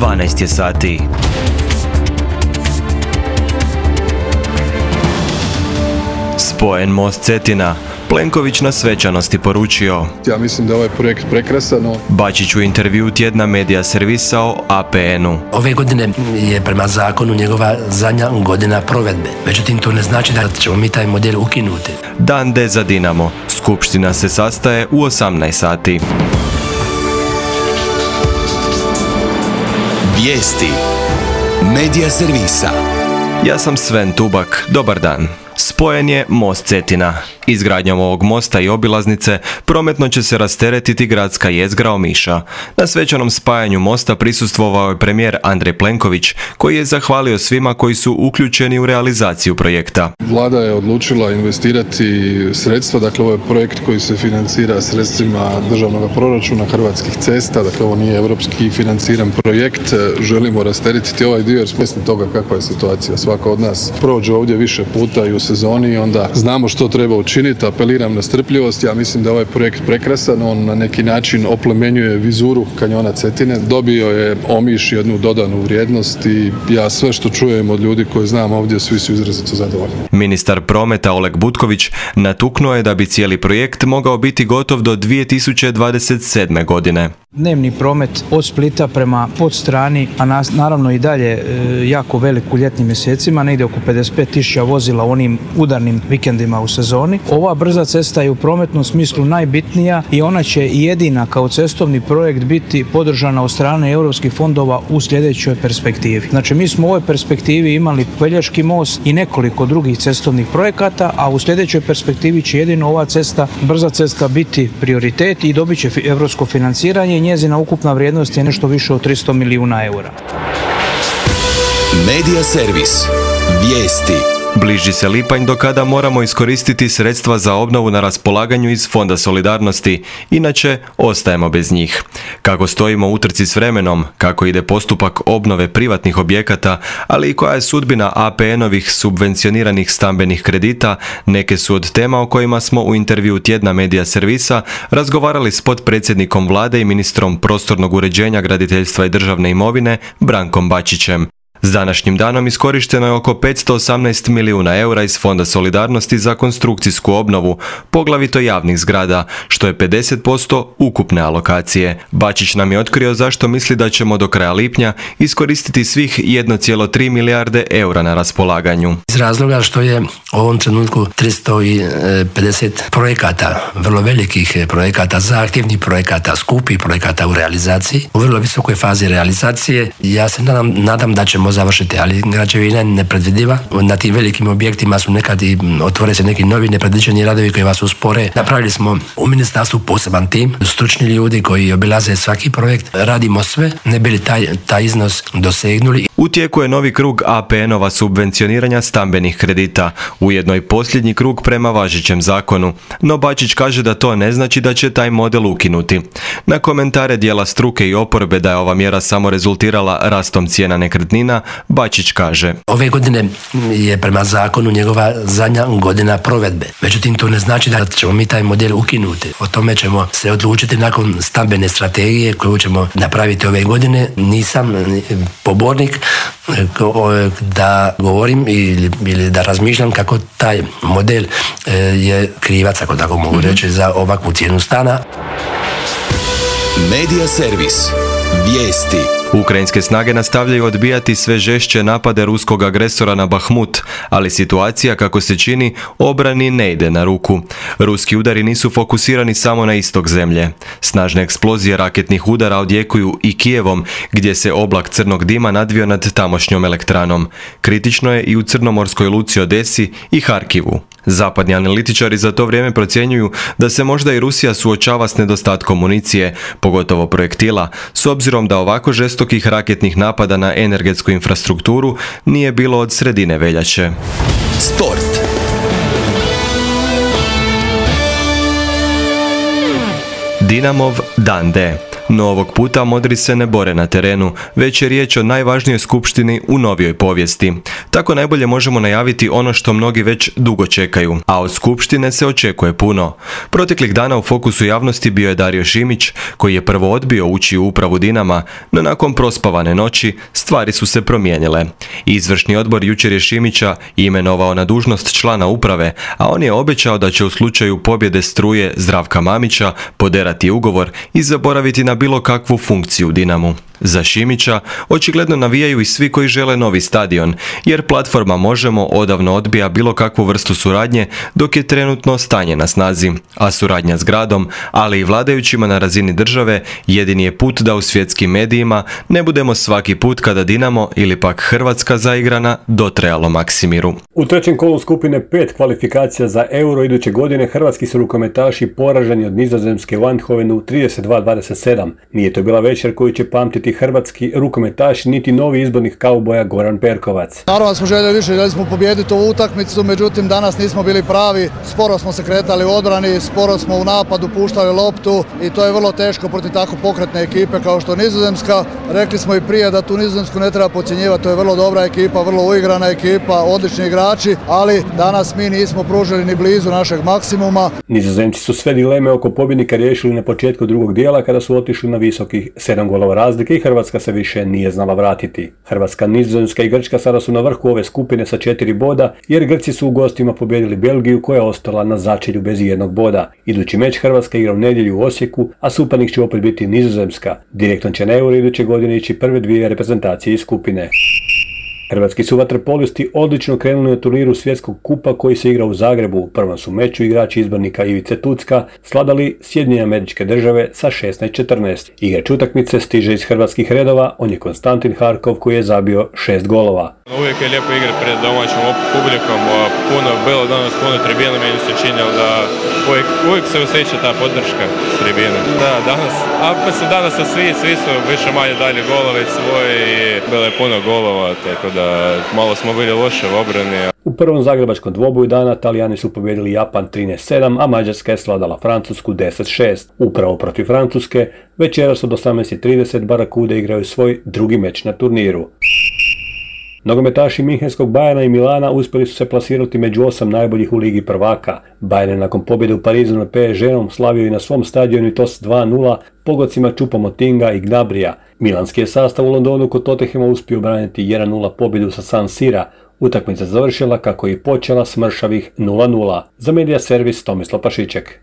12 je sati. Spojen most Cetina. Plenković na svečanosti poručio. Ja mislim da je ovaj projekt prekrasan. Bačić u intervju tjedna Medija servisa o APN-u. Ove godine je prema zakonu njegova zadnja godina provedbe. Međutim, to ne znači da ćemo mi taj model ukinuti. Dan D za Dinamo. Skupština se sastaje u 18 sati. Vijesti. Medija servisa. Ja sam Sven Tubak. Dobar dan. Spojen je most Cetina. Izgradnjom ovog mosta i obilaznice prometno će se rasteretiti gradska jezgra Omiša. Na svečanom spajanju mosta prisustvovao je premijer Andrej Plenković, koji je zahvalio svima koji su uključeni u realizaciju projekta. Vlada je odlučila investirati sredstva, dakle ovo je projekt koji se financira sredstvima državnog proračuna Hrvatskih cesta, dakle ovo nije europski financiran projekt. Želimo rasteretiti ovaj dio jer smo svjesni toga kakva je situacija. Svako od nas prođe ovdje više puta i u sezoni i onda znamo što treba učiniti. Apeliram na strpljivost. Ja mislim da je ovaj projekt prekrasan. On na neki način oplemenjuje vizuru kanjona Cetine. Dobio je Omiš jednu dodanu vrijednost i ja sve što čujem od ljudi koje znam ovdje, svi su izrazito zadovoljni. Ministar prometa Oleg Butković natuknuo je da bi cijeli projekt mogao biti gotov do 2027. godine. Dnevni promet od Splita prema Podstrani, a naravno i dalje jako velik u ljetnim mjesecima, negdje oko 55.000 vozila u onim udarnim vikendima u sezoni. Ova brza cesta je u prometnom smislu najbitnija i ona će jedina kao cestovni projekt biti podržana od strane europskih fondova u sljedećoj perspektivi. Znači mi smo u ovoj perspektivi imali Pelješki most i nekoliko drugih cestovnih projekata, a u sljedećoj perspektivi će jedino ova cesta, brza cesta biti prioritet i dobit će europsko financiranje. Njezina ukupna vrijednost je nešto više od 300 milijuna eura. Medija servis. Vijesti. Bliži se lipanj do kada moramo iskoristiti sredstva za obnovu na raspolaganju iz Fonda solidarnosti, inače ostajemo bez njih. Kako stojimo u utrci s vremenom, kako ide postupak obnove privatnih objekata, ali i koja je sudbina APN-ovih subvencioniranih stambenih kredita, neke su od tema o kojima smo u intervju tjedna Medija servisa razgovarali s potpredsjednikom Vlade i ministrom prostornog uređenja, graditeljstva i državne imovine Brankom Bačićem. S današnjim danom iskorišteno je oko 518 milijuna eura iz Fonda solidarnosti za konstrukcijsku obnovu, poglavito javnih zgrada, što je 50% ukupne alokacije. Bačić nam je otkrio zašto misli da ćemo do kraja lipnja iskoristiti svih 1,3 milijarde eura na raspolaganju. Iz razloga što je u ovom trenutku 350 projekata, vrlo velikih projekata, zahtjevnih projekata, skupih projekata u realizaciji, u vrlo visokoj fazi realizacije. Ja se nadam da ćemo završiti, ali građevina je nepredvidiva. Na tim velikim objektima su nekad i otvore se neki novi nepredviđeni radovi koji vas uspore. Napravili smo u ministarstvu poseban tim, stručni ljudi koji obilaze svaki projekt. Radimo sve, ne bi li taj iznos dosegnuli. U tijeku je novi krug APN-ova subvencioniranja stambenih kredita, ujedno i posljednji krug prema važećem zakonu, no Bačić kaže da to ne znači da će taj model ukinuti. Na komentare dijela struke i oporbe da je ova mjera samo rezultirala rastom cijena nekretnina, Bačić kaže: Ove godine je prema zakonu njegova zadnja godina provedbe. Međutim, to ne znači da ćemo mi taj model ukinuti. O tome ćemo se odlučiti nakon stambene strategije koju ćemo napraviti ove godine. Nisam pobornik da govorim ili da razmišljam kako taj model je krivac, ako tako mogu reći, za ovakvu cijenu stana. Medija servis. Vijesti. Ukrajinske snage nastavljaju odbijati sve žešće napade ruskog agresora na Bahmut, ali situacija, kako se čini, obrani ne ide na ruku. Ruski udari nisu fokusirani samo na istok zemlje. Snažne eksplozije raketnih udara odjekuju i Kijevom, gdje se oblak crnog dima nadvio nad tamošnjom elektranom. Kritično je i u crnomorskoj luci Odesi i Harkivu. Zapadni analitičari za to vrijeme procjenjuju da se možda i Rusija suočava s nedostatkom municije, pogotovo projektila, s obzirom da ovako žestokih raketnih napada na energetsku infrastrukturu nije bilo od sredine veljače. Sport. Dinamov Dan D. No ovog puta modri se ne bore na terenu, već je riječ o najvažnijoj skupštini u novijoj povijesti. Tako najbolje možemo najaviti ono što mnogi već dugo čekaju, a od skupštine se očekuje puno. Proteklih dana u fokusu javnosti bio je Dario Šimić, koji je prvo odbio ući u upravu Dinama, no nakon prospavane noći stvari su se promijenile. Izvršni odbor jučer je Šimića imenovao na dužnost člana uprave, a on je obećao da će u slučaju pobjede Struje Zdravka Mamića poderati ugovor i zaboraviti na bilo kakvu funkciju u Dinamu. Za Šimića očigledno navijaju i svi koji žele novi stadion, jer platforma Možemo odavno odbija bilo kakvu vrstu suradnje dok je trenutno stanje na snazi, a suradnja s gradom, ali i vladajućima na razini države, jedini je put da u svjetskim medijima ne budemo svaki put kada Dinamo ili pak Hrvatska zaigrana dotrajalo Maksimiru. U trećem kolu skupine 5 kvalifikacija za Euro iduće godine hrvatski su rukometaši poraženi od Nizozemske u Eindhovenu 32-27. Nije to bila večer koju će pamtiti hrvatski rukometaš niti novi izbornik kauboja Goran Perkovac. Naravno smo željeli smo pobijediti ovu utakmicu, međutim danas nismo bili pravi, sporo smo se kretali u odbrani, sporo smo u napadu puštali loptu i to je vrlo teško protiv tako pokretne ekipe kao što Nizozemska. Rekli smo i prije da tu Nizozemsku ne treba podcjenjivati, to je vrlo dobra ekipa, vrlo uigrana ekipa, odlični igrači, ali danas mi nismo pružili ni blizu našeg maksimuma. Nizozemci su sve dileme oko pobjednika riješili na početku drugog dijela kada su otišli na visokih 7 golova razlike i Hrvatska se više nije znala vratiti. Hrvatska, Nizozemska i Grčka sada su na vrhu ove skupine sa 4 boda, jer Grci su u gostima pobijedili Belgiju koja je ostala na začelju bez jednog boda. Idući meč Hrvatska igra u nedjelju u Osijeku, a suparnik će opet biti Nizozemska. Direktno će na Euro iduće godine ići prve dvije reprezentacije iz skupine. Hrvatski su vaterpolisti odlično krenuli na turniru svjetskog kupa koji se igra u Zagrebu. U prvom su meču igrači izbornika Ivice Tucka svladali Sjedinjene Američke Države sa 16-14. Igrač utakmice stiže iz hrvatskih redova, on je Konstantin Harkov koji je zabio 6 golova. Uvijek je lijepo igrati pred domaćom publikom, puno bilo danas, puno tribina, meni se činilo da uvijek se osjeća ta podrška s tribine. Da, danas su svi su više manje dali golove svoje i bilo je puno golova, tako da malo smo bili loše u obrani. U prvom zagrebačkom dvoboju dana Talijani su pobijedili Japan 13-7, a Mađarska je svladala Francusku 10-6. Upravo protiv Francuske večeras od 18:30 Barakude igraju svoj drugi meč na turniru. Nogometaši Minhenskog Bayerna i Milana uspjeli su se plasirati među 8 najboljih u Ligi prvaka. Bayern je nakon pobjede u Parizu na PSG-om slavio i na svom stadionu i to s 2-0 pogodcima Choupo-Motinga i Gnabrija. Milanski je sastav u Londonu kod Tottenhama uspio braniti 1-0 pobjedu sa San Sira. Utakmica završila kako je počela s mršavih 0-0. Za Media Servis Tomislav Pašiček.